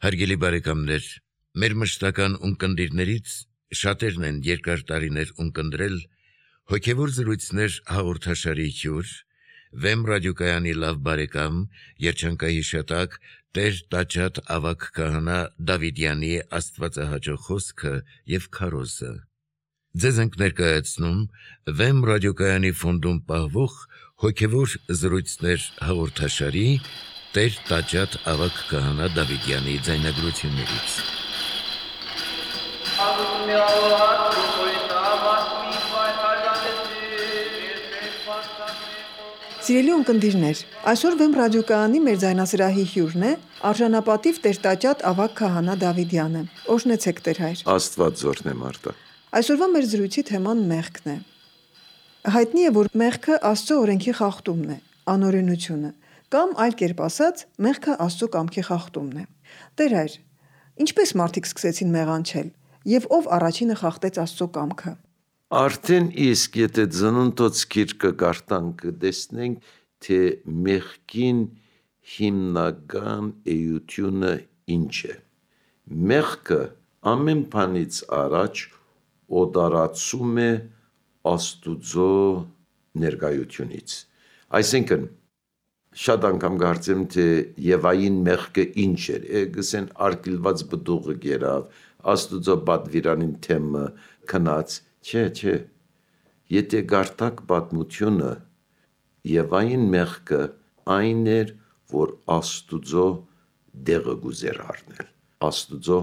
Հարգելի բարեկամներ, մեր մշտական ունկնդիրներից շատերն են երկար տարիներ ունկնդրել հոգևոր զրույցներ հաղորդաշարի հյուր, Վեմ ռադիոկայանի լավ բարեկամ, երջանկահիշատակ Տեր Տաճատ ավագ քահանա Դավիդյանի աստվածահաճո խոսքը եւ քարոզը։ Ձեզ ենք ներկայացնում Վեմ ռադիոկայանի ֆոնդում պահվող հոգևոր զրույցներ հաղորդաշարի Տեր Տաճատ ավագ քահանա Դավիդյանի ձայնագրություններից։ Սիրելի ունկնդիրներ, այսօր Վեմ ռադիոկայանի մեր ձայնասրահի հյուրն է արժանապատիվ Տեր Տաճատ ավագ քահանա Դավիդյանը։ Օրհնեցեք Տեր հայր։ Աստված զորն է Մարտա։ Այսօրվա մեր զրույցի թեման մեղքն է։ Հայտնի է, որ մեղքը Աստծո օրենքի խախտումն է, անօրենությունը, կամ այլ կերպ ասած, մեղքը Աստծո կամքի խախտումն է։ Տեր հայր, ինչպես մարդիկ սկսեցին մեղանչել, եւ ով առաջինը խախտեց Աստծո կամքը։ Արդեն իսկ եթե ծնունդոց գիրքը կարդանք կտեսնենք, թե մեղքին հիմնական էությունը ինչ է։ Մեղքը ամեն բանից առաջ օտարացում է Աստուծո ներկայությունից։ Այսինքն շատ անգամ կարծեմ, թե Եվային մեղքը ինչ էր, գսեն արգելված բդուղը գերավ, Աստուծո պատվիրանին թեմը քնած, չէ, եթե կարդաք պատմությունը, Եվային մեղքը այն էր, որ Աստուծո դեղը գուզեր առնել, Աստուծո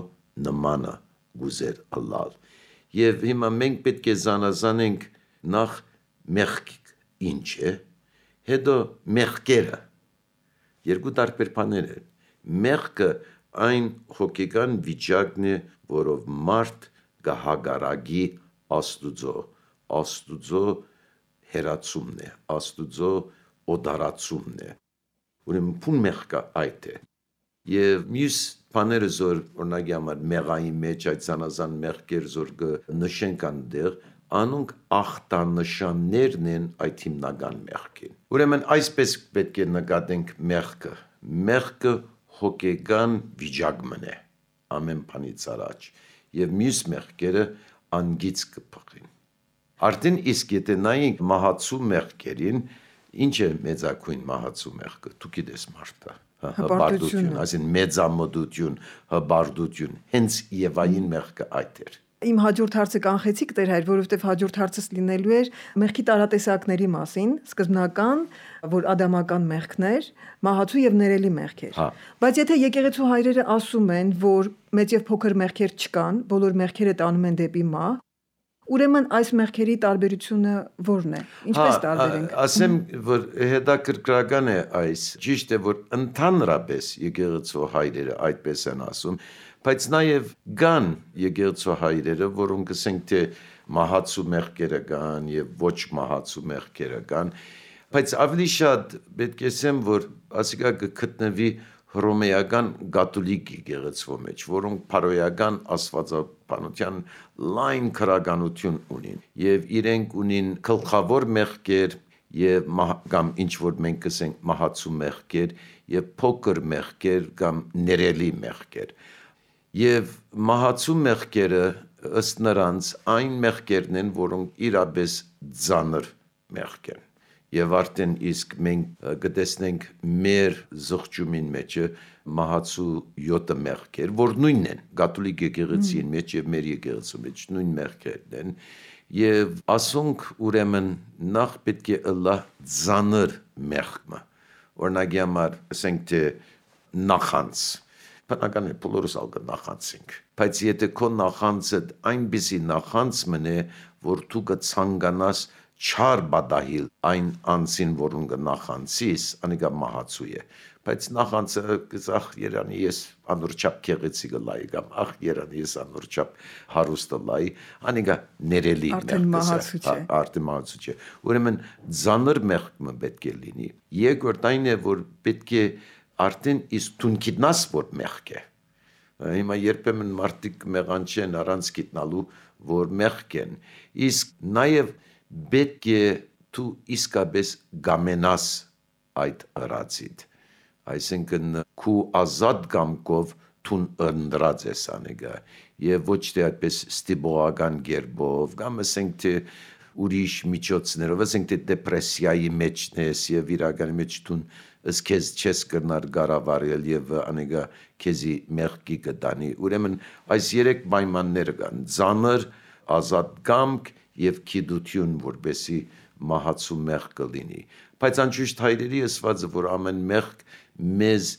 նմանը գուզեր ըլլալ։ Եվ հիմա մենք պետք է զանազանենք նախ մեղք ինչ է, հետո մեղքերը, երկու տարբեր բաներ են։ Մեղքը այն հոգեկան վիճակն է, որով մարդ կհագարակի Աստուծո հերացումն է, Աստուծո օտարացումն է։ Ուրեմն փուն մեղքը այդ է։ Եվ մյուս բաները զոր օրինակի համար մեղային մեջ այդ զանազան մեղքեր զոր նշենք այնտեղ, անոնք ախտանշաններն են այդ հիմնական մեղքին։ Ուրեմն այսպես պետք է նկատենք մեղքը։ Մեղքը հոգեկան վիճակն է ամեն բանից առաջ, եւ մյուս մեղքերը անգից կփխին։ Արդեն իսկ եթե նայենք մահացու մեղքերին, ինչ է մեծակույն մահացու մեղքը, դու գիտես Մարտա, հպարտություն, այսինքն մեծամտություն, հպարտություն, հենց Եվային մեղքը այդ էր։ Իմ հաջորդ հարցը կանխեցիք Տեր հայր, որովհետև հաջորդ հարցս լինելու էր մեղքի տարատեսակների մասին, սկզբնական, որ ադամական մեղքներ, մահացու եւ ներելի մեղքեր։ Բայց եթե եկեղեցու հայրերը ասում են, որ մեծ եւ փոքր մեղքեր չկան, բոլոր մեղքերը տանում են դեպի մահ, ուրեմն այս մեղքերի տարբերությունը ո՞րն է։ Ինչպես տարբերենք։ Ասեմ, որ հետաքրքրական է այս, ճիշտ է, որ ընդհանրապես եկեղեցու հայրերը այդպես են ասում, բայց նաև կան եկեղեցու հայրերը, որոնք ասենք թե մահացու մեղքերը կան եւ ոչ մահացու մեղքերը կան, բայց ավելի շատ պետք է ասեմ, որ ասիկա կգտնվի հռոմեական կաթոլիկ եկեղեցու մեջ, որոնք փարոյական աստվածաբանության լայն քրագանություն ունին եւ իրենք ունին գլխավոր մեղքեր եւ կամ ինչ որ մենք կսենք մահացու մեղքեր եւ փոքր մեղքեր կամ ներելի մեղքեր։ Եվ մահացու մեղքերը ըստ նրանց այն մեղքերն են, որոնք իրապես ծանր մեղք են։ Եվ արդեն իսկ մենք կտեսնենք մեր զղջումին մեջը մահացու 7 մեղքեր, որ նույնն են, կաթոլիկ եկեղեցին մեջ եւ մեր եկեղեցու մեջ նույն մեղքերն են։ Եվ ասոնք ուրեմն նախ պետք է ըլլա ծանր մեղքը։ Օրինակի համար ասենք թե նախանց բնական է բոլորս ալգ նախանցենք, բայց եթե քո նախանցը այնպիսի նախանց մնե, որ դու կցանկանաս չար բադահիլ այն անձին, որուն կնախանցիս, անիկա մահացու է, բայց նախանցը ախ երանի ես անորչապ քեղեցիկը լայի կամ ախ երանի ես անորչապ հարուստը լայի, անիկա ներելի արդեն մահացու չէ։ Ուրեմն ծանր մեղքը պետք է լինի։ Երկրորդ այն է, որ պետք է արդեն իսկ դու գիտնաս որ մեղք է։ Հիմա երբեմն մարդիկ մեղանչեն առանց գիտնալու որ մեղք են, իսկ նաև պետք է դու իսկապես գամենաս այդ ըրացիդ, այսինքն քու ազատ կամքով թուն ընտրած ես անեգա եւ ոչ թե այդպես ստիպողական գերբով կամ ասենք թե ուրիշ միջոցներով, ասենք թե դեպրեսիայի մեջն ես եւ իրականի մեջ թուն քեզ չես կրնար գարավարել եւ անեգա քեզի մեղքի կտանի ուրեմն այս երեք պայմանները կան ծանր ազատ կամք եւ գիտություն որբեսի մահացու մեղքը լինի բայց անշուշտ հայրերի ասվածը որ ամեն մեղք մեզ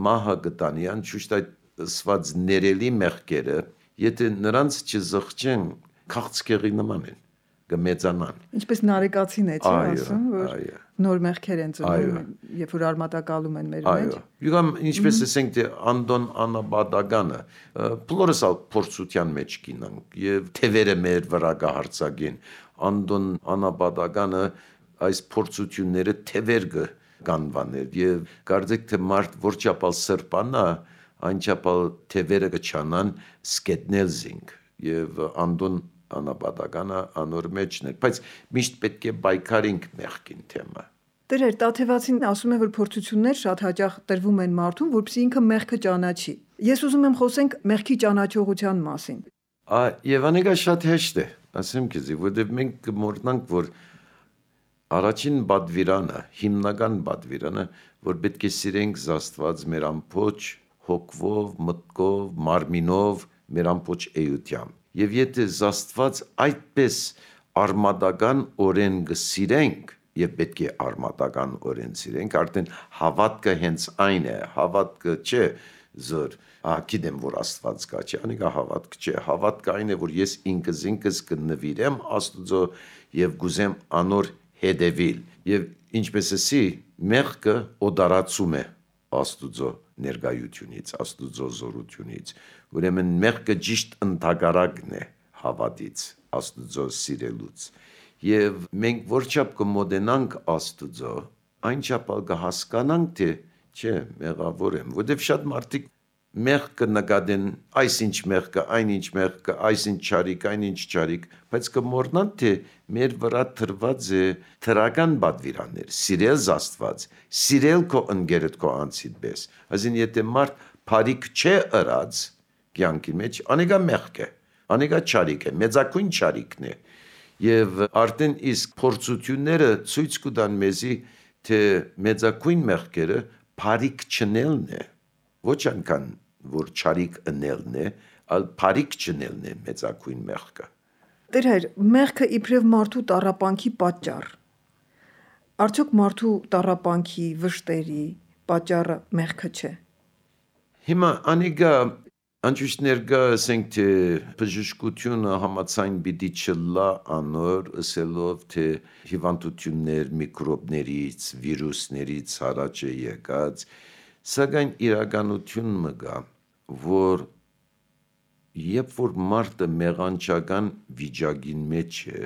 մահը կտանի անշուշտ այդ ասված ներելի մեղքերը եթե նրանց չզղջեն քաղցկեղի նման են կմեծանան ինչպես նարեկացին է չի ասում որ նոր մեղքեր են ծնում երբ որ արմատակալում են մեր մեջ յուղամ ինչպես ասենք թե Անդոն Անաբադագանը բոլորս փորձության մեջ կինանք եւ թևերը մեր վրա կհարցակին Անդոն Անաբադագանը այս փորձությունները թևեր կանվաներ եւ կարծեք թե մարդ որչապալ սրբանա այնչապալ թևերը կչանան սկետնելզինգ եւ Անդոն անապատականը անոր մեջն էր, բայց միշտ պետք է բայկարինք մեղքին թեմը։ Տերեր, Տաթևացին ասում է, որ փորձություններ շատ հաճախ տրվում են մարդուն, որպեսզի ինքը մեղքը ճանաչի։ Ես ուզում եմ խոսենք մեղքի ճանաչողության մասին։ Եվ անեգա շատ հեշտ է, ասեմ քեզի, որտեղ մենք կմոռանանք, որ առաջին բադվիրանը, հիմնական բադվիրանը, որ պետք է սիրենք Աստված մեր ամբողջ հոգվով, մտքով, մարմինով, մեր ամբողջ էությամբ։ Եվ եթե Աստված այդպես արմատական օրեն կսիրենք եւ պետք է արմատական օրեն սիրենք արդեն հավատքը հենց այն է հավատքը չէ զոր գիտեմ որ Աստված կա չէ անիկա հավատք չէ հավատքը այն է որ ես ինքս կնվիրեմ Աստուծո եւ գուզեմ անոր հետևիլ եւ ինչպես էսի մեղքը օդարացում է Աստուծո ներկայությունից Աստուծո զորությունից ուրեմն մեղքը ճիշտ ընդհակառակն է հավատից Աստուծո սիրելուց եւ մենք որչափ կմոդենանք Աստուծո այնչափ կհասկանանք թե չէ մեղավոր եմ որովհետեւ շատ մարդիկ մեղքը նկատեն այսինչ մեղքը այնինչ մեղքը այսինչ չարիք այնինչ չարիք բայց կմոռնան թե մեր վրա թրված է թրական բադվիրաններ սիրել Աստված սիրել քո ընկերդ քո անցիդ պես այսին եթե մարդ բարիք չէ ըրած կյանքի մեջ անեգա մեղք է անեգա չարիք է մեծակույն չարիքն է եւ արդեն իսկ փորձությունները ցույց կտան մեզի թե մեծակույն մեղքերը բարիք չնելն է ոչ այնքան որ չարիք ընելն է այլ բարիք չնելն է մեծակույն մեղքը Տեր մեղքը իբրև մարդու տառապանքի պատճառ արդյոք մարդու տառապանքի վշտերի պատճառը մեղքը չէ Հիմա անիգա անջուշ ներկա ասենք թե բժշկությունը համացայն պիտի չլա անոր ասելով թե հիվանդություններ միկրոբներից վիրուսներից առաջ է եկած սակայն իրականություն մգա որ երբ որ մարդը մեղանչական վիճակին մեջ է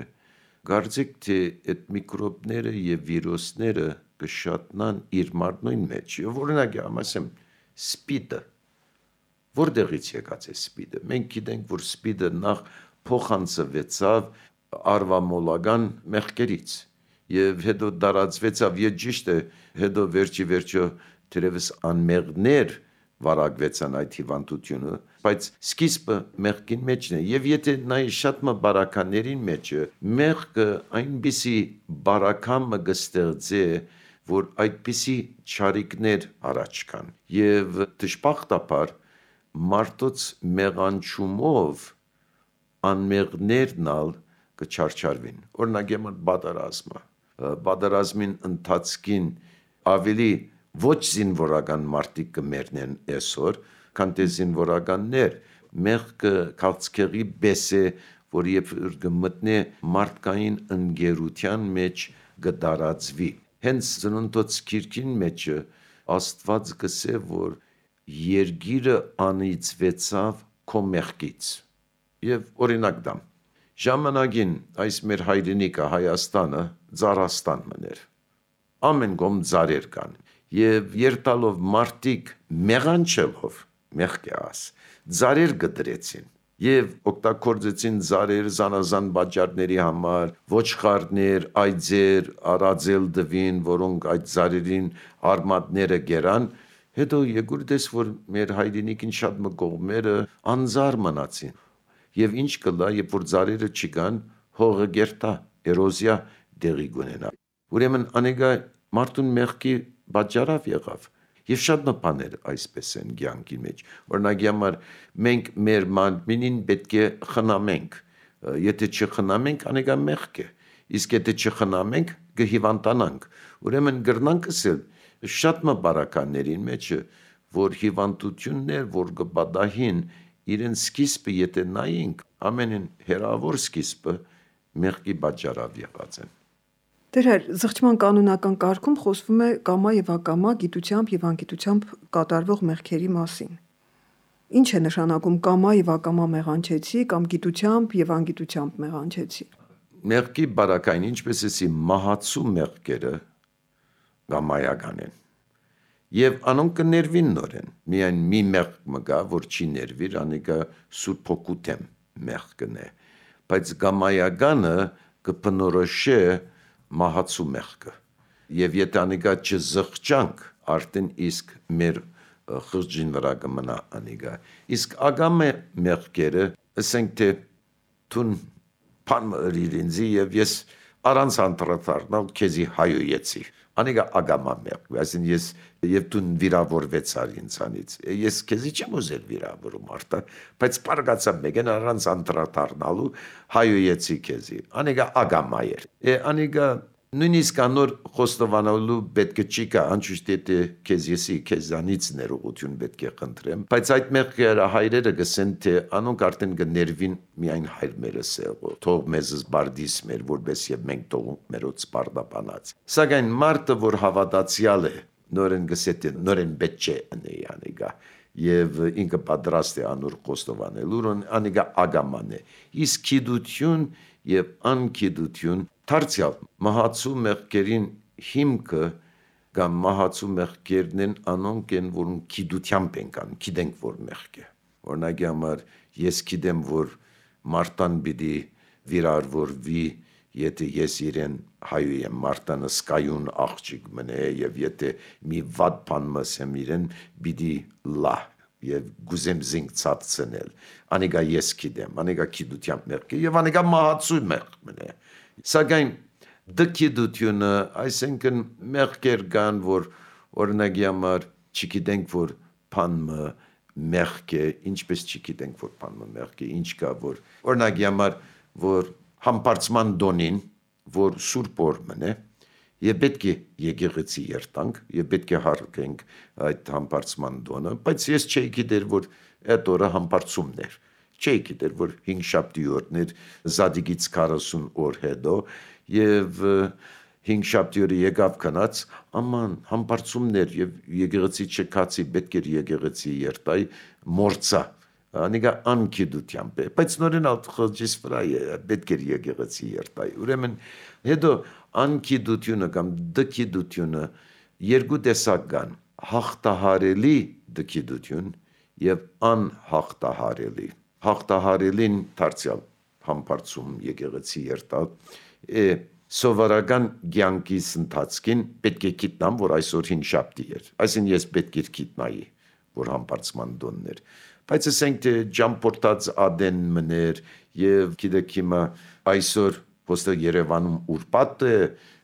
կարծեք թե այդ միկրոբները եւ վիրուսները կշատնան իր մարմնին մեջ եւ օրինակ ասեմ սպիդը որտեղից եկած է սպիդը մենք գիտենք որ սպիդը նախ փոխանցվեցավ արվամոլական մեղքերից եւ հետո դարածվեցավ եւ ճիշտ է հետո վերջի թերևս անմեղներ վարակվեցան այդ հիվանդությունը, բայց սկիզբը մեղքին մեջն է, եւ եթե նայ շատ բարականերին մեջը, մեղքը այնպիսի բարակամը կստեղծե, որ այդպիսի չարիքներ առաջ կան, եւ դժբախտաբար մարդոց մեղանչումով անմեղներն ալ կչարչարվին, օրինակ եմը բادرազմին ընթացքին ավելի ոչ զինվորական մարդիկ կմեռնեն այսօր, քան թե զինվորականներ, մեղքը քաղցկեղի պես է, որ երբ գմտնե մարդկային ընկերության մեջ կդարածվի։ Հենց ծննդոց քիրքին մեջը Աստված գսե, որ երկիրը անիծվեցավ քո մեղքից։ Եվ օրինակ դամ, ժամանակին այս մեր հայրենիքը Հայաստանը Ձարաստան մներ։ Ամեն կողմ ձարեր կան։ Եվ երտալով մարդիկ մեղանչելով մեղք է աս ձարեր գդրեցին եւ օգտագործեցին ձարեր զանազան բաժարների համար ոչխարներ այծեր արածել դվին որոնք այդ ձարերին արմատները գերան Հետո եկուրդես, որ մեր հայրենիքին շատ մկողմերը անձար մնացին։ Եվ ինչ կլա, երբ որ ծառերը չկան, հողը գերտա, էրոզիա դեղի գունենա։ Ուրեմն անեգա մարդուն մեղքի պատճառավ եղավ։ Եվ շատ մպաներ այսպես են կյանքի մեջ։ Օրինակի համար մենք մեր մանմինին պետք է խնամենք։ Եթե չխնամենք, անեգա մեղք է։ Իսկ եթե չխնամենք, կհիվանդանանք։ Ուրեմն գրնանք ասել շատ մբարականներին մեջ, որ հիվանդություններ, որ կպատահին, իրեն սկիզբը եթե նայենք, ամենին հերավոր սկիզբը մեղքի պատճառավ եղած են։ Դեր զղջման կանոնական կարգում խոսվում է կամա եւ ակամա, գիտությամբ եւ անգիտությամբ կատարվող մեղքերի մասին։ Ինչ է նշանակում կամա եւ ակամա մեղանչեցի կամ գիտությամբ եւ անգիտությամբ մեղանչեցի։ Մեղքի բարակային, ինչպես էսի մահացու մեղքերը կամայական են։ Եվ անոնք կներվին նորեն, միայն մի մեղք մգա, որ չի ներվիր, անիկա Սուրբ Հոգու թեմ մեղքն է, բայց կամայականը կփնորոշե մահացու մեղքը, եւ եթե անիկա չզղջանք, արդեն իսկ մեր խղճին վրա կմնա անիկա, իսկ ագամե մեղքերը, ասենք թե թուն փան իրինձի եւ ես առանց անդրադառնալ քեզի հայոյեցի, անիկա ագամա մեղք, այսին ես եւ դու վիրավորվեցար ինձանից, ես քեզի չեմ ուզել վիրավորում արտա, բայց պարգացա մեկեն առանց անդրադառնալու հայոյեցի քեզի, անիկա ագամա էր, անիկա նույնիսկ անոր խոստովանալու պետք չի կա, անշուշտ եթե քեզի քեզանից ներողություն պետք է խնդրեմ, բայց այդ մեղքերը հայրերը գսեն թե անոնք արդեն կներվին միայն հայր մերս եղո, թող մեզ զբարդիս մեր, որպես եւ մենք թողunk մերոց սպարդապանած։ Սակայն մարդը, որ հավատացյալ է, նորեն գսե թե նորեն պետք չէ ընի անիկա եւ ինքը պատրաստ է անոր խոստովանելու, անիկա ագաման է, իսկ գիտություն եւ անգիտություն Դարձյալ մահացու մեղքերին հիմքը կամ մահացու մեղքերն են անոնք են, որոնք գիտությամբ են կան, գիտենք որ մեղք է։ Օրինակի համար ես գիտեմ, որ Մարտան պիտի վիրավորվի, եթե ես իրեն հայու եմ, Մարտանը սկայուն աղջիկ մնե եւ եթե մի վատ բան մսեմ իրեն պիտի լա եւ գուզեմ զինք ցածնել։ Անիկա ես գիտեմ, անիկա գիտությամբ մեղք է եւ անիկա մահացու մեղք մնե։ Սակայն դգիտությունը, այսինքն մեղքեր կան, որ օրինակի համար չգիտենք, որ բանը մեղք է, ինչպես չգիտենք, որ բանը մեղք է, ինչ կա, որ օրինակի համար, որ համբարձման դոնին, որ Սուրբ օր մնե, եւ պետք է եկեղեցի երտանք, եւ պետք է հարգենք այդ համբարձման դոնը, բայց ես չէի գիտեր, որ այդ օրը համբարձումն էր։ Չէի գիտեր, որ 5 շաբթի օրներ Զադիգից 40 օր հետո եւ 5 շաբթի օրը եկավ քնած, աման համբարձումներ եւ եկեղեցի չկացի, պետք էր եկեղեցի երտայ մորցա, անիկա անգիտությամբ է, բայց նորեն ալտխոջիս վրա պետք էր եկեղեցի երտայ։ Ուրեմն հետո անգիտությունը կամ դգիտությունը երկու տեսակ կան, հաղթահարելի դգիտություն եւ անհաղթահարելի։ Հաղթահարելին դարձյալ համբարձում եկեղեցի երտալ սովորական կյանքիս ընթացքին պետք է գիտնամ, որ այսօր 5 շաբթի էր, այսին ես պետք է գիտնայի, որ համբարձման դոնն էր, բայց ասենք թե ճամփորդած ադեն մներ եւ գիտեք հիմա այսօր ոստը Երևանում ուրբաթ է,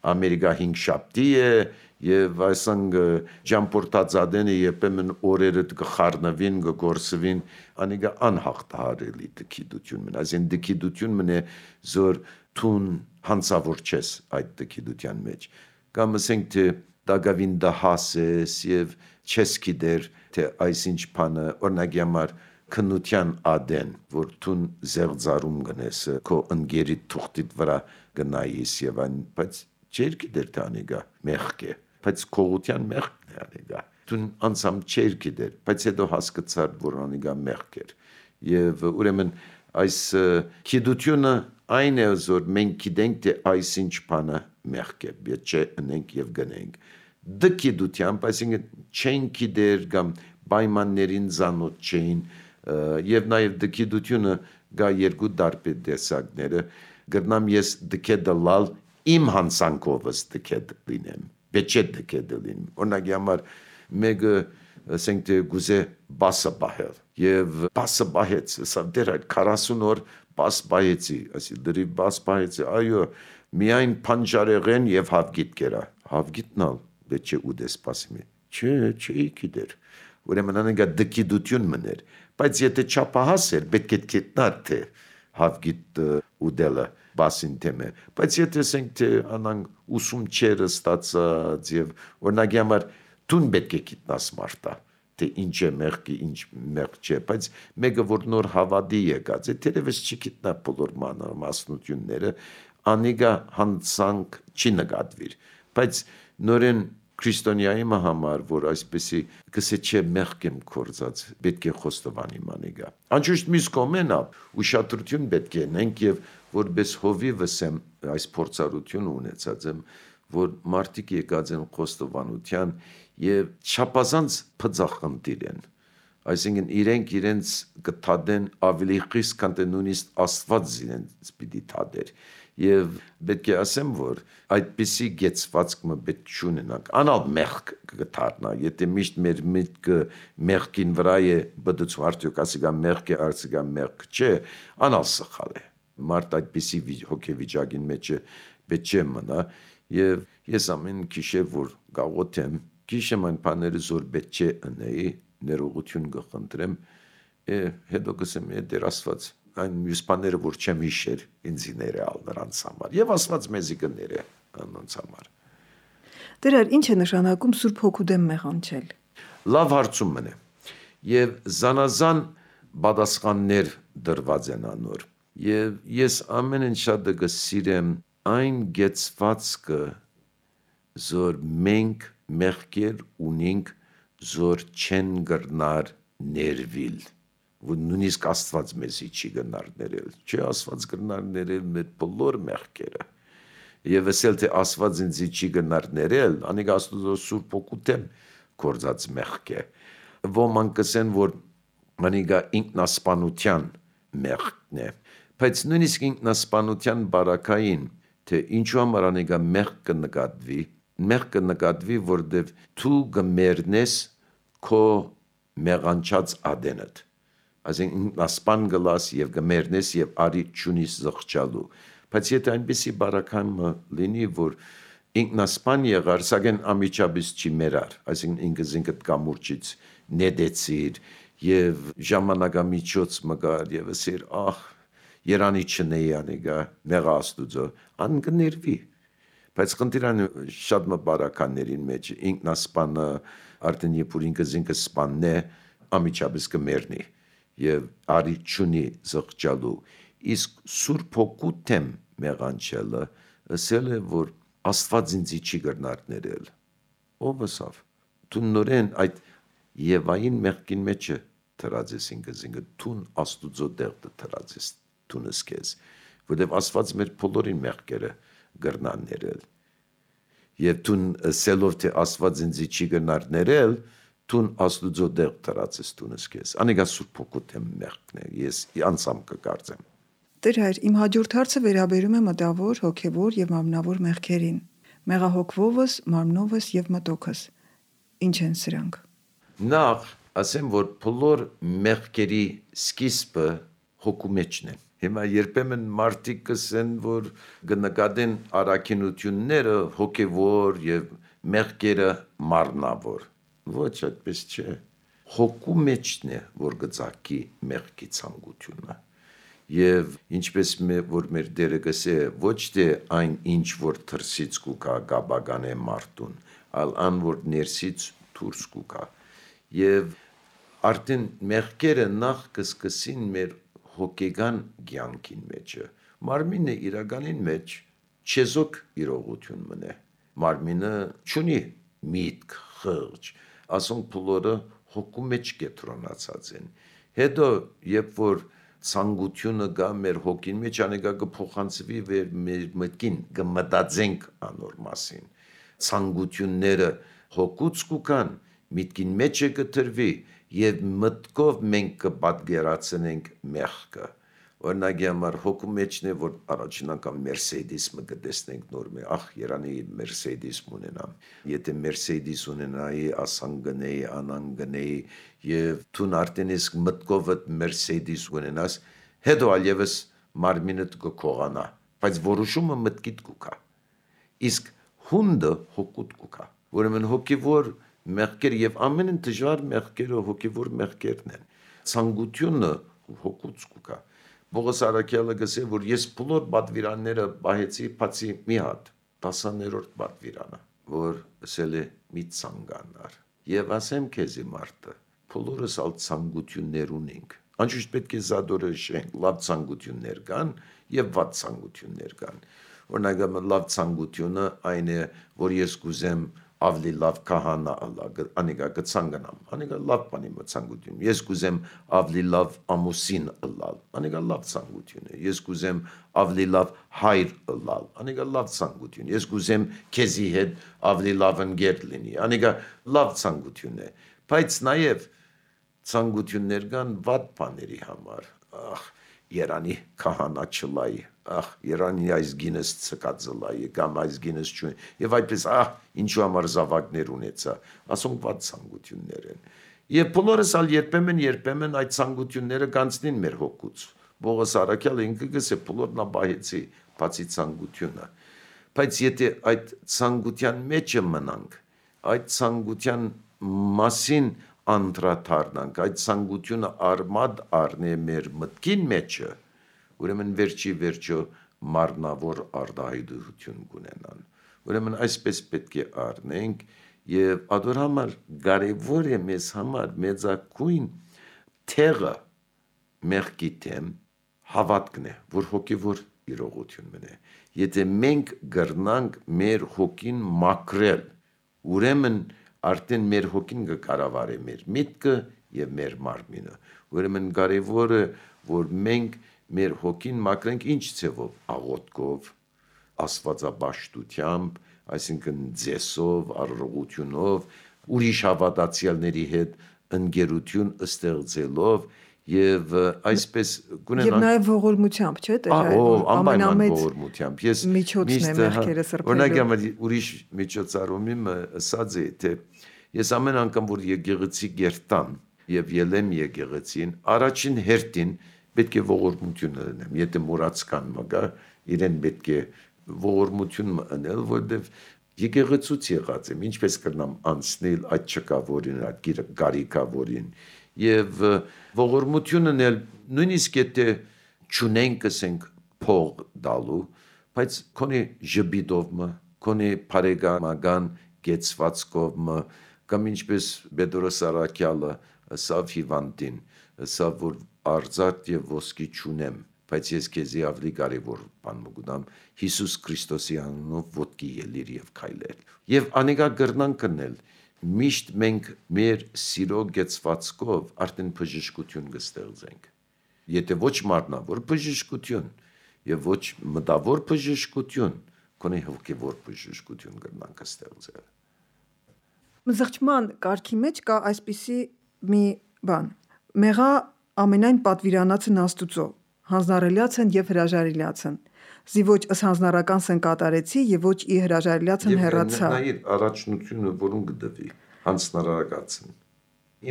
Ամերիկա 5 շաբթի է եւ այսինք ճամփորդած ադենը երբեմն օրերը կխառնվին, կգործվին, անիկա անհաղթահարելի դգիտություն մնա, այսին դգիտություն մնա զոր թուն հանցավոր չես այդ դգիտության մեջ, կամ ասենք թե դագավին դահաս ես եւ չես գիտեր թե այսինչ բանը օրինակի համար քնության ադեն, որ թուն զեղծարում գնես, քո ընկերի թուղթիդ վրա գնայիս եւ այն, բայց չեր գիտեր թե անիկա մեղք է, բայց քողության մեղքն է անիկա, թուն անցամ չեր գիտեր, բայց հետո հասկացար, որ անիկա մեղք էր, եւ ուրեմն այս գիտությունը այն է, որ մենք գիտենք թե այսինչ բանը մեղք է, պետք չէ ընենք եւ գնենք, դգիտությամբ, այսինքն չեն գիտեր կամ պայմաններին ծանոթ չէին եւ նաեւ դգիտությունը գա երկու դարբեր տեսակները գրնամ ես դգետալալ իմ հանցանքովս դգետ լինեմ պետք չէ դգետ լինեմ օրինակի համար մեկը ասենք թե գուզե բասը բահել եւ բասը բահեց սա դեր այդ 40 օր բաս բայեցի ասի դրի բաս բայեցի այո միայն փանջարեղեն եւ հավգիտ կերա հավգիտնալ բեչե ուդես սպասիմի չէ գիտեր ուրեմն անենգա դկիդություն մներ բայց եթե չափահաս էր պետք է գիտնար թե հավգիտ ուդելը բասին թեմը բայց եթե ասենք թե անանք ուսում չերը ստացած եւ օրինակի համար տուն պետք է գիտնաս մարտա թե ինչ է մեղքի ինչ մեղք չէ բայց մեկը որ նոր հավատի եկած է թերևս չգիտնա բոլոր մասնությունները անիգա հանցանք չի նկատվիր բայց նորեն քրիստոնյայի համար որ այսպեսի կսե չէ մեղք եմ կործած պետք է խոստովանի մանիգա անջուշտ միս կոմենա ուշադրություն պետք է նենք եւ որպես հովիվս եմ այս փորձառությունը ունեցած եմ որ մարդիկ եկած են խոստովանության եւ չափազանց փծախնդիր են այսինքն իրենց կթադեն ավելի խիստ քան թե նույնիսկ Աստված իրենց պիտի թադեր եւ պետք է ասեմ որ այդպիսի գեցվածքը պետք չունենանք անալ մեղք կդառնա եթե միշտ մեր միտքը մեղքին վրա է բդուց արդյոք ասիգա մեղք է արցիգա մեղք չէ անալ սխալ է մարդ այդպիսի հոգեվիճակին մեջ պետք չէ մնա եւ ես ամեն գիշեր որ գաղութեմ գիշեմ այն բաները զոր պետք չէ ընեի ներողություն կխնդրեմ հետո կսեմ դեր Աստված այն մյուս բաները որ չեմ հիշեր ինձ ներեալ նրանց համար եւ Աստված մեզի կներե նրանց համար Դեր ինչ է նշանակում Սուրբ Հոգու դեմ մեղանչել լավ հարցում մնե եւ զանազան պատասխաններ դրված են անոր եւ ես ամեն ինչ շատ կսիրեմ այն գեցվածքը զոր մենք մեղքեր ունենք զոր չեն գրնար ներվիլ որ նույնիսկ Աստված մեզի չի գնար ներել չէ Աստված գնար ներել մեր բոլոր մեղքերը եւ ասել թե Աստված ինձ չի գնար ներել անիկ Աստուծո Սուրբ Հոգու դեմ կործած մեղք է ոմանք կսեն որ անիկա ինքնասպանության մեղքն է բայց նույնիսկ ինքնասպանության բարակային թե ինչու համար անիկա մեղք կնկատվի որտեվ դու կմեռնես քո մեղանչած ադենդ այսինքն ինքնասպան գլաս եւ կմեռնես եւ արի ճունիս զղջալու բայց եթե այնպեսի բարակայինը լինի որ ինքնասպան եղար սակայն ամիջապես չի մեռար այսինքն ինքդ կամուրջից նետեցիր եւ ժամանակամիջոց մգար եւ ասիր ահ Երանի չնեի անիգա մեղա Աստուծո անկներվի բայց խնդիրանը շատ մբարականներին մեջ ինքնասպանը արդեն երբ որ ինքը սպանն է ամիջապես կմեռնի եւ արի ճունի զղջալու իսկ Սուրբ Հոգու դեմ մեղանչելը ասել է որ Աստված ինձ չի գնար ներել ով ասավ դու նորեն այդ Եվային մեղքին մեջ թրածես ինքը դու Աստուծո դեղը թրածես դունս քեզ որտեվ Աստված մեր բոլորին մեղքերը գրնան ներել եւ դու ասելով թե Աստված ինձ չի գնար ներել դու Աստուծո դեղ թրածես դունս քեզ անիկա Սուրբ Հոգու դեմ մեղքն է ես անցամ կկարծեմ Տեր հայր իմ հաջորդ հարցը վերաբերում է մտավոր հոգեվոր եւ մարմնավոր մեղքերին մեղահոգվովս մարմնովս եւ մտոքս ինչ են սրանք նախ ասեմ որ բոլոր մեղքերի սկիզբը հոգու մեջն է Հիմա երբեմն մարդիկ կսեն, որ կնկատեն առաքինությունները հոգևոր եւ մեղքերը մարմնավոր։ Ոչ այդպես չէ։ Հոգու մեջն է, որ գծակի մեղքի ցանկությունը։ Եվ ինչպես որ մեր դերը գսե, ոչ թե այն ինչ որ թրսից կուկա գաբագան է մարդուն, այլ ան որ ներսից դուրս կուկա։ Եվ արդեն մեղքերը նախ կսկսին մեր հոգեգան կյանքին մեջը մարմինը իրականին մեջ չեզոք իրողություն մնե մարմինը չունի միտք խղճ ասոնք բոլորը հոգու մեջ կետրոնացած են հետո երբ որ ցանկությունը գա մեր հոգին մեջ անեկա կփոխանցվի մեր մտքին կմտածենք անոր մասին ցանկությունները հոգուց կուքան միտքին մեջ կտրվի Եվ մտքով մենք կպատկերացնենք մեղքը, Օրինակի համար հոգու մեջն է, որ առաջին անգամ Mercedes-ը կտեսնենք նոր մե, երանի Mercedes ունենամ։ Եթե Mercedes ունենայի, ասան գնեի, անան գնեի, եւ դու արդեն իսկ մտքով Mercedes ունենաս, հետո այլևս մարմինդ կկողանա, բայց որոշումը մտքիդ կուքա։ Իսկ հունդը հոգուտ կուքա։ Ուրեմն հոգևոր մեղքեր եւ ամեն դժվար մեղքերը հոգևոր մեղքերն են։ Ցանկությունը հոգուց կուքա։ Պողոս Արաքյալը գսե, որ ես բոլոր պատվիրանները բահեցի, բացի մի հատ, 10-րդ պատվիրանը, որ ասել է մի ցանկանար։ Եվ ասեմ քեզի մարդը, բոլորս ալ ցանկություններ ունենք։ Անշուշտ պետք է զադորոշենք, լավ ցանկություններ կան եւ վատ ցանկություններ կան։ Օրինակ լավ ցանկությունը այն է, որ ես կուզեմ ավելի լավ քահանա ալա, անիկա կցանկանամ, անիկա լավ բանի ցանկություն։ Ես կուզեմ ավելի լավ ամուսին ըլալ, անիկա լավ ցանկություն է։ Ես կուզեմ ավելի լավ հայր ըլալ, անիկա լավ ցանկություն։ Ես կուզեմ քեզի հետ ավելի լավ ընկեր լինի, անիկա լավ ցանկություն է։ Բայց նաև ցանկություններ կան վատ բաների համար։ Երանի քահանա չլայի, երանի այս գինս ցկածլայի, կամ այս գինս չունի, եւ այդպես ինչու համար զավակներ ունեցա, ասոնք վատ ցանկություններ են։ Եվ բոլորս ալ երբեմն այդ ցանկությունները կանցնին մեր հոգուց։ Պողոս Արաքյալը ինքը գսե բոլորն աբահեցի, բացի ցանկությունը։ Բայց եթե այդ ցանկության մեջը մնանք, այդ ցանկության մասին անդրադառնանք, այդ ցանկությունը արմատ առնե մեր մտքին մեջը, ուրեմն վերջո մարմնավոր արտահայտություն կունենան։ Ուրեմն այսպես պետք է առնենք եւ ադոր համար կարեւոր է մեզ համար մեծակույն թեղը մեղքի դեմ հավատքն է, որ հոգեվոր իրողություն մնե։ Եթե մենք գրնանք մեր հոգին մաքրել, ուրեմն արդեն մեր հոգին կկառավարի մեր միտքը եւ մեր մարմինը։ Ուրեմն կարեւոր է, որ մենք մեր հոգին մաքրենք ինչ ցևով, աղոթքով, աստվածաբաշխությամբ, այսինքն ձեսով, առողջությունով, ուրիշ հավատացյալների հետ ընկերություն ստեղծելով եւ այսպես կունենանք եւ նաեւ ողորմությամբ, չէ՞, ամենամեծ ողորմությամբ։ Ես միջոցն է մեղքերը սրբելու։ Օրինակ ուրիշ միջոցառումի ասած է, թե ես ամեն անգամ որ եկեղեցի գերտամ եւ ելեմ եկեղեցին, առաջին հերթին պետք է ողորմություն ունենամ։ Եթե մուրացկան մգա, իրեն պետք է ողորմություն մնել, որտեվ եկեղեցուց եղած եմ, ինչպես կրնամ անցնել այդ չկավորին, այդ գարիկավորին եւ ողորմությունն էլ նույնիսկ եթե չունենք ասենք փող դալու, բայց քոնի ժբիդովը, քոնի բարեկամական գեցվածքով կամ ինչպես Պետրոս Արաքյալը ասավ հիվանդին, ասավ որ արձած եւ ոսկի չունեմ, բայց ես քեզի ավելի կարևոր բան մգուտամ Հիսուս Քրիստոսի անունով ոտքի ելիր եւ քայլել։ Եվ անիկա գրնան կնել միշտ մենք մեր սիրո գեցվածքով արդեն բժշկություն կստեղծենք։ Եթե ոչ մարմնավոր բժշկություն եւ ոչ մտավոր բժշկություն, քոնի հոգեվոր բժշկություն կրնանք ստեղծել։ Մզղջման կարգի մեջ կա այսպիսի մի բան. մեղա ամենայն պատվիրանացն Աստուծո, հանձնարարելիացն եւ հրաժարելիացն։ Զի ոչ ըսհանձնարական սն կատարեցի եւ ոչ ի հրաժարելիացն հեռացա։ Նաիր առաջնությունը որուն կդվի հանձնարարակացն։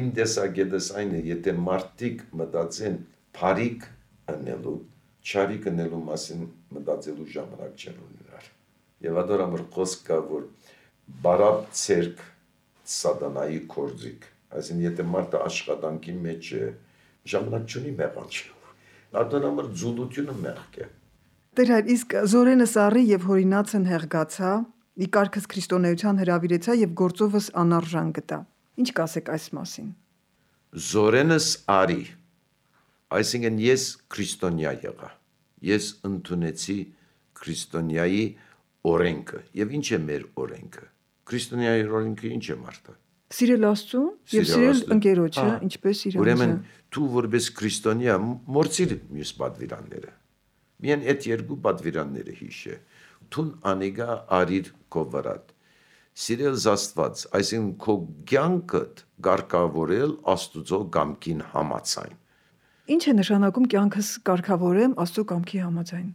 Իմ տեսակետս այն է, եթե մարդիկ մտածեն բարիք անելու, չարիք անելու մասին մտածելու ժամանակ չեն ունենալ։ Եվ ադորամր խոսք կա, որ բարապ ցերկ սատանայի կորձիկ, այսինքն եթե մարդը աշխատանքի մեջ է, ժամանակ չունի մեղանչելու։ Ադորամր ձուլությունը մեղք է։ Տեր հայր, իսկ զորենս առի եւ հորինացն հեղգացա, ի կարգս քրիստոնեության հրավիրեցա եւ գործովս անարժան գտա։ Ինչ կասեք այս մասին։ Զորենս արի, այսինքն ես քրիստոնյա եղա։ Ես ընդունեցի քրիստոնյայի օրենքը։ Եվ ինչ է մեր օրենքը։ Քրիստոնյայի օրենքը ինչ է մարդը։ Սիրել Աստծուն եւ սիրել ընկերոջը, ինչպես իրեն։ Ուրեմն դու որպես քրիստոնյա մորցիր մյուս պատվիրանները։ Միայն այդ երկու պատվիրանները հիշե։ Թուն անիգա արիր քո վրա։ Սիրել Աստված, այսինքն քո կյանքդ գարկավորել Աստուծո գամքին համացայն։ Ինչ է նշանակում կյանքս կարգավորեմ Աստծո կամքի համաձայն։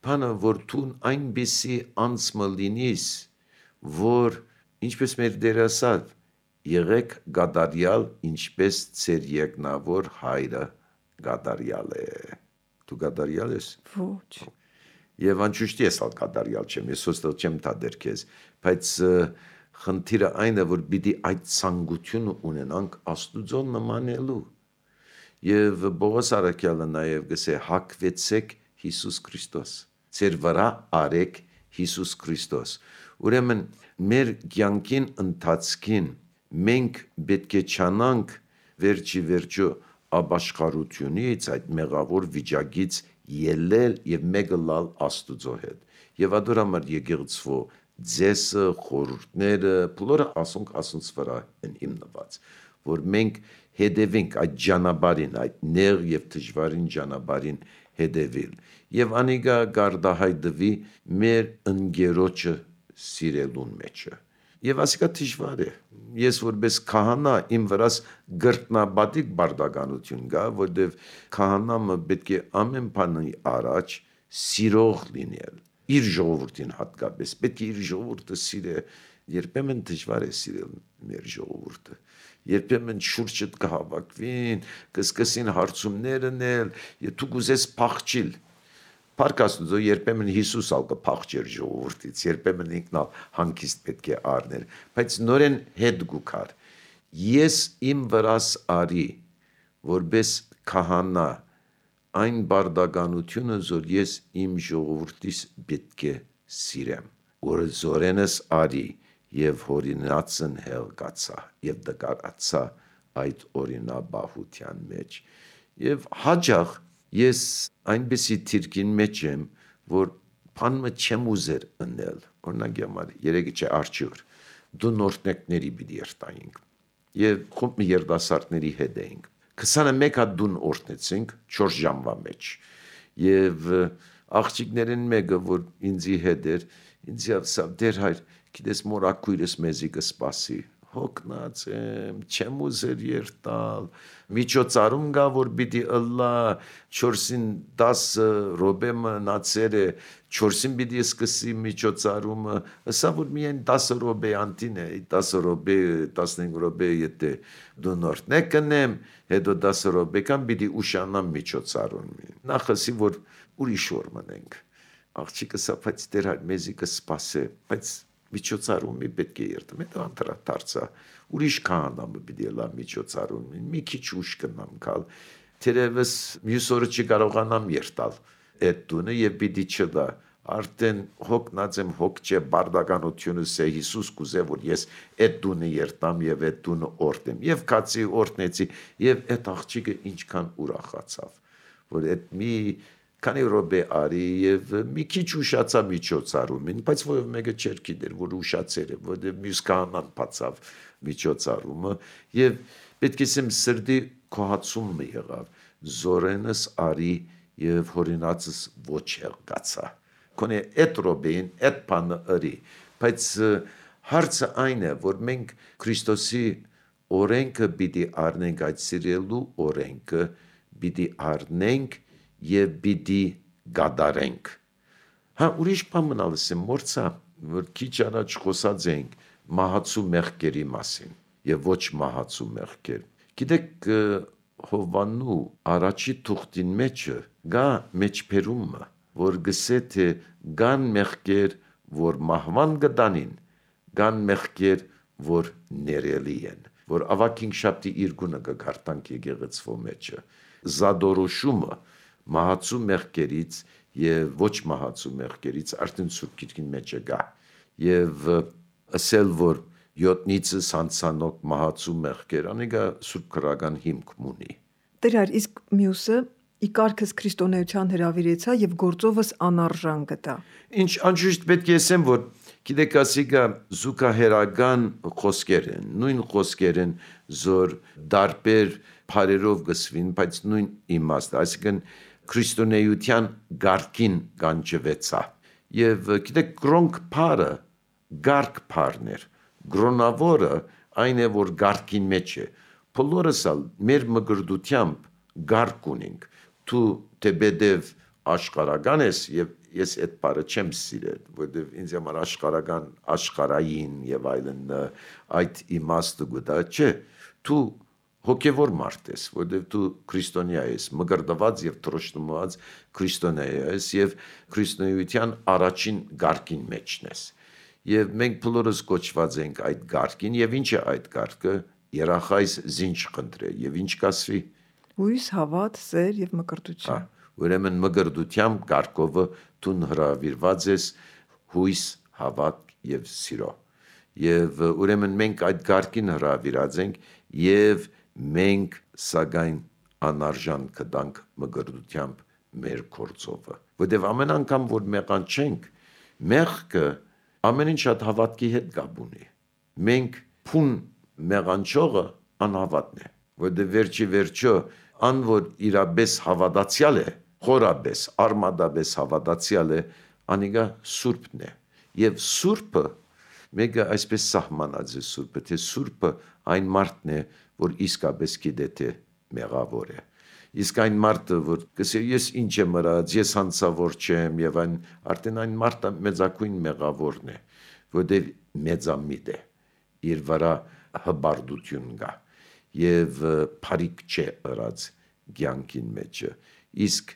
Բանը որ դու այնպեսի անցմը լինիս, որ ինչպես մեր Տեր ասավ, եղեք գադարյալ, ինչպես ձեր երկնավոր հայրը գադարյալ է։ Դու գադարյալ ես։ Ոչ։ Եվ անշուշտ ես ալ գադարյալ չեմ, ես ոստել չեմ տադեր քեզ, բայց խնդիրը այն է, որ պիտի այդ ցանկությունը ունենանք Աստուծո նմանելու։ Եվ Պողոս առաքյալը նաև գսե հակվեցեք Հիսուս Քրիստոս, ձեր վրա արեք Հիսուս Քրիստոս։ Ուրեմն մեր կյանքին ընթացքին մենք պետք է չանանք վերջի վերջո ապաշխարությունից, այդ մեղավոր վիճակից ելել եւ մեկը լալ Աստուծո հետ։ Եվ ադոր համար եկեղեցվո ձեսը, խորհուրդները, բոլորը ասունց վրա են հիմնված, որ մենք հետևենք այդ ճանապարհին, այդ նեղ եւ դժվարին ճանապարհին հետևել։ Եվ անիկա գարդահայտվի մեր ընկերոջը սիրելուն մեջը։ Եվ ասիկա դժվար է։ Ես որպես քահանա իմ վրաս գրտնաբադիկ բարդականություն կա, որտեվ քահանամը պետք է ամեն բանի առաջ սիրող լինել։ Իր ժողովրդին հատկապես պետք է իր ժողովուրդը սիրե։ Երբեմն դժվար է սիրել մեր ժողովուրդը։ Երբեմն շուրջդ կհավաքվին, կսկսին հարցումներ անել, եւ դու կուզես փախչիլ։ Փառք Աստծո, երբեմն Հիսուս ալ կփախչեր ժողովրդից, երբեմն ինքն ալ հանգիստ պետք է առներ, բայց նորեն հետ գուքար։ Ես իմ վրաս արի, որպես քահանա, այն բարդականությունը, որ ես իմ ժողովրդիս պետք է սիրեմ, որ զորենս արի եւ հորինացն հելկացա եւ դկարացա այդ օրինաբահության մեջ եւ հաջող ես այնպեսի թիրքին մեջ եմ, որ բանը չեմ ուզեր ընել, օրինակ համար երեկ չէ արջուր դու նորտեկների պիտի երտայինք եւ խումբ մի երդասարտների հետ էինք 21 հատ դուն օրտնեցինք 4 ժամվա մեջ եւ աղջիկներին մեկը որ ինձի հետ էր ինձ ասավ դեր հայր գիտես մոր ակույրս մեզի կսպասի հոգնած եմ չեմ ուզեր երտալ միջոցառում գա որ պիտի ըլլա 4-ին 10 րոպե մնացեր է 4-ին պիտի սկսի միջոցառումը ասա որ միայն 10 րոպե անտին է 10 րոպե 15 րոպե եթե դու նորտն կնեմ հետո 10 րոպեկան պիտի ուշանամ միջոցառումին նախասի որ ուրիշ օր մնենք աղջիկը սա բայց դեր հայր մեզի կսպասե բայց միջոցառումի պետք է երթեմ հետո անդրադարձա ուրիշ քահանամը պիտի լա միջոցառումին մի քիչ ուշ կնամ գալ թերևս մյուս օրը չկարողանամ երթալ այդ տունը եւ պիտի չդա արդեն հոգնած եմ հոգ չէ բարդականությունը սե Հիսուս կուզե որ ես այդ տունը երթամ եւ այդ տունը օրտեմ եւ կացի օրտնեցի եւ այդ աղջիկը ինչքան ուրախացավ որ այդ մի քանի րոպե արի եւ մի քիչ ուշացա միջոցառումին, բայց ով մեկը չէր գիտեր, որ ուշացել է, որտեղ մյուս կանան բացավ միջոցառումը եւ պետք է ասեմ սրդի կոհացումը եղավ, զորենս արի եւ հորինածս ոչ եղգացա։ Կոնե այդ րոպեին այդ բանը արի, բայց հարցը այն է, որ մենք Քրիստոսի օրենքը պիտի առնենք, այդ սիրելու օրենքը պիտի առնենք եւ պիտի գադարենք։ Հա ուրիշ բան մնալս եմ մորցա, որ քիչ առաջ խոսած էինք մահացու մեղքերի մասին եւ ոչ մահացու մեղքեր։ Գիտեք Հովվանու առաջի թուղթին մեջը գա մեջբերումը, որ գսե թե գան մեղքեր, որ մահվան գտանին, գան մեղքեր, որ ներելի են, որ ավակին շաբթի իր գունը կգարտանք եկեղեցվո մեջը։ Զադորոշումը մահացու մեղքերից եւ ոչ մահացու մեղքերից արդեն Սուրբ Գիրքին մեջ է գա եւ ասել որ 7-ից սանցանոք մահացու մեղքեր անիկա Սուրբ քրական հիմք ունի Տերար իսկ մյուսը ի կարգս քրիստոնեության հրավիրեցա եւ գործովս անարժան գտա Ինչ անշուշտ պետք է ասեմ որ գիտեք ասիկա զուգահեռական խոսքեր են նույն խոսքեր են զոր դարբեր բարերով գսվին բայց նույն իմաստը այսինքն քրիստոնեության գարկին կանչվեցա եւ գիտեք գրոնք բարը գարկ բարներ գրոնավորը այն է որ գարկին մեջ է բոլորս ալ մեր մգրդությամբ գարկ ունենք։ Դու դեպեդև աշխարհական ես եւ ես այդ բառը չեմ սիրել, որովհետեւ ինձ համար աշխարհական աշխարհային եւ այլն այդ իմաստը գտա չէ։ Դու հոգևոր մարդ ես, որովհետեւ դու քրիստոնյա ես, մգրդված եւ տրոշնված քրիստոնյա ես եւ քրիստոնեության առաջին գարկին մեջն ես։ Եվ մենք բոլորս կոչված ենք այդ գարկին եւ ինչ է այդ գարկը երախայս զինչ խնդրե եւ ինչ կասվի հույս, հավատ, սեր եւ մկրտություն։ Ուրեմն մգրդությամբ գարկովը դու հրավիրված ես հույս, հավատ եւ սիրո։ Եվ ուրեմն մենք այդ գարկին հրավիրած ենք եւ մենք սակայն անարժան կդանք մգրդությամբ մեր կորձովը։ Որտեւ ամեն անգամ որ մեղան չենք, մեղքը ամեն ինչ շատ հավատքի հետ կապ ունի։ Մենք փուն մեղանչողը անհավատն է, որտեղ վերջո ան որ իրապես հավատացյալ է, խորապես, արմադապես հավատացյալ է, անիգա սուրբն է։ Եվ սուրբը մեկը այսպես սահմանած է սուրբը, թե սուրբը այն մարդն է, որ իսկապես գիտե թե մեղավոր է։ Իսկ այն մարդը, որ կսե ես ինչ եմ ըրած, ես հանցավոր չեմ եւ արդեն այն մարդը մեծակույն մեղավորն է, որտեղ մեծամիտ է, իր վրա հբարդություն կա եւ փարիկ չէ ըրած ցանկին մեջը։ Իսկ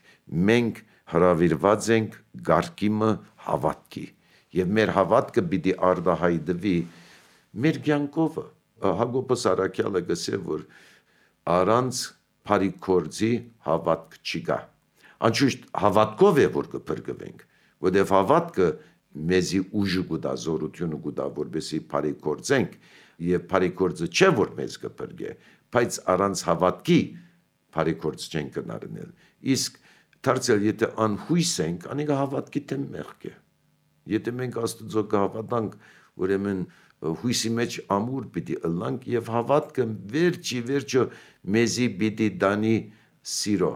մենք հրավիրված ենք գարկիմը հավատքի եւ մեր հավատքը պիտի արդահայտվի մեր ցանկովը։ Հակոբոս Արաքյալը գսե որ առանց փարիկորձի հավատք չի գա։ Անշուշտ հավատքով է որ կփրկվենք, որովհետեւ հավատքը մեզի ուժը կուտա, զորությունը կուտա, որպեսզի փարիկորձենք եւ փարիկորձը չէ որ մեզ կփրկե, բայց առանց հավատքի փարիկորձ չենք կնարնել։ Իսկ դարձյալ եթե անհույս ենք, անիկա հավատքի դեմ մեղք է։ Եթե մենք Աստծո կհավատանք, ուրեմն հույսի մեջ ամուր պիտի ըլլանք եւ հավատքը վերջը մեզի պիտի դանի սիրո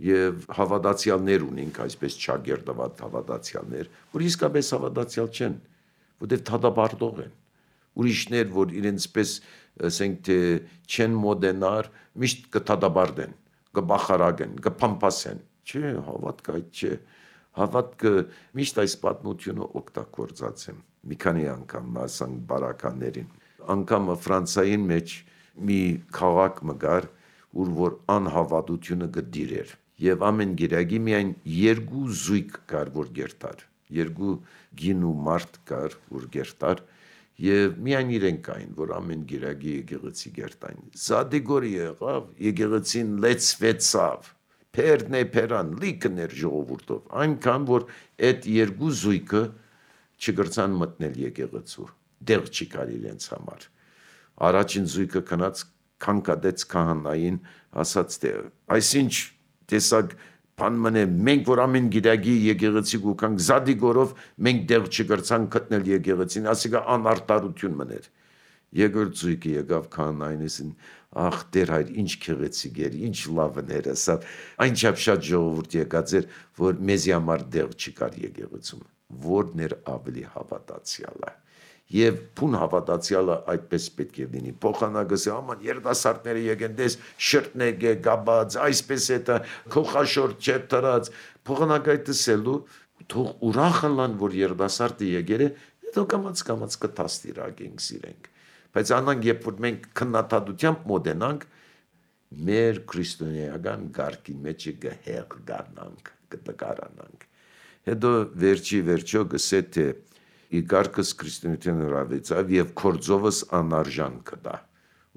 եւ հավատացյալներ ունենք, այսպես չագերտված հավատացյալներ, որ իսկապես հավատացյալ չեն, որտեղ թադաբարդող են։ Ուրիշներ, որ իրենց պես ասենք թե չեն մոդենար, միշտ կթադաբարդեն, կբախարագեն, կփամփասեն։ Չէ, հավատքը այդ չէ։ Հավատքը միշտ այս պատմությունը օգտագործած եմ։ Մի քանի անգամ ասանք բարականներին։ Անգամ Ֆրանսիայի մեջ մի քաղաք մգար, ուր որ անհավատությունը գդիր էր։ Եվ ամեն գիրագի միայն երկու զույգ կար, որ գերտար։ Երկու գին ու մարդ կար, որ գերտար։ Եվ միայն իրենք կային, որ ամեն գիրագի եկեղեցի գերտային։ Զադիգորի եղավ, եկեղեցին լեցվեցավ։ Փերն է փերան, լիքն էր ժողովուրդով։ Այնքան, որ այդ երկու զույգը չգրցան մտնել եկեղեցու։ Դեղ չի կար իրենց համար։ Առաջին զույգը քնած քանքադեց քահանային, ասաց թե այսինչ տեսակ բան մնե մենք որ ամեն գիրագի եկեղեցի գուքանք զադիգորով մենք դեղ չգրցանք գտնել եկեղեցին, ասիկա անարտարություն մներ։ Երկրորդ զույգը եկավ քահանայինին, ախ դեր հայր ինչ քեղեցիկ էր, ինչ լավն էր, ասա այնչափ շատ ժողովուրդ եկած էր, որ մեզի համար դեղ չկար եկեղեցում, որն էր ավելի հավատացյալը։ Եվ փուն հավատացյալը այդպես պետք է լինի։ Փոխանակս է աման երդասարտները եկեն դες շրտնեգ է գաբած, այսպես է դա քոխաշորտ չէ տրած։ Փոխանակայտսելու թող ուրախանան որ երդասարտը եկել է, հետո կամած կտաստիրակենք սիրենք։ Բայց անանք երբ որ մենք քննադատությամբ մոդենանք մեր քրիստոնեական գարկի մեջ գհեղ գառնանք, կտկարանանք։ Հետո վերջո գսե թե Իգարկս քրիստոնեության հրավեցավ եւ կորձովս անարժան կդա։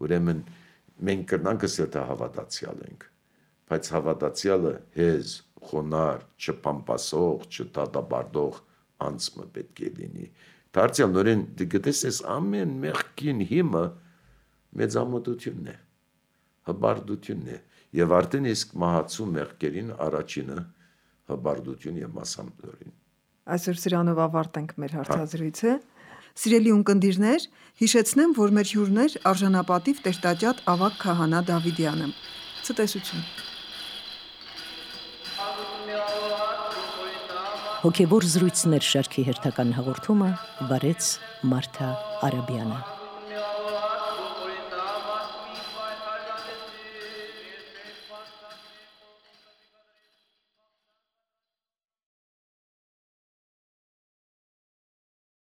Ուրեմն մենք կրնանք ասել հավատացյալ ենք, բայց հավատացյալը հեզ, խոնար, չփամփասող, չտադաբարդող անձը պետք է լինի։ Դարձյալ նորեն դգտես ամեն մեղքին հիմը մեծամտությունն է, հբարդությունն է եւ արդեն իսկ մահացու մեղքերին առաջինը հբարդություն եւ մասամտորին։ Այսօր սրանով ավարտենք մեր հարցազրույցը։ Սիրելի ունկնդիրներ, հիշեցնեմ, որ մեր հյուրն էր արժանապատիվ Տեր-տաճատ Ավագ քահանա Դավիդյանը։ Ցտեսություն։ Հոգևոր զրույցներ շարքի հերթական հաղորդումը վարեց Մարթա Արաբյանը։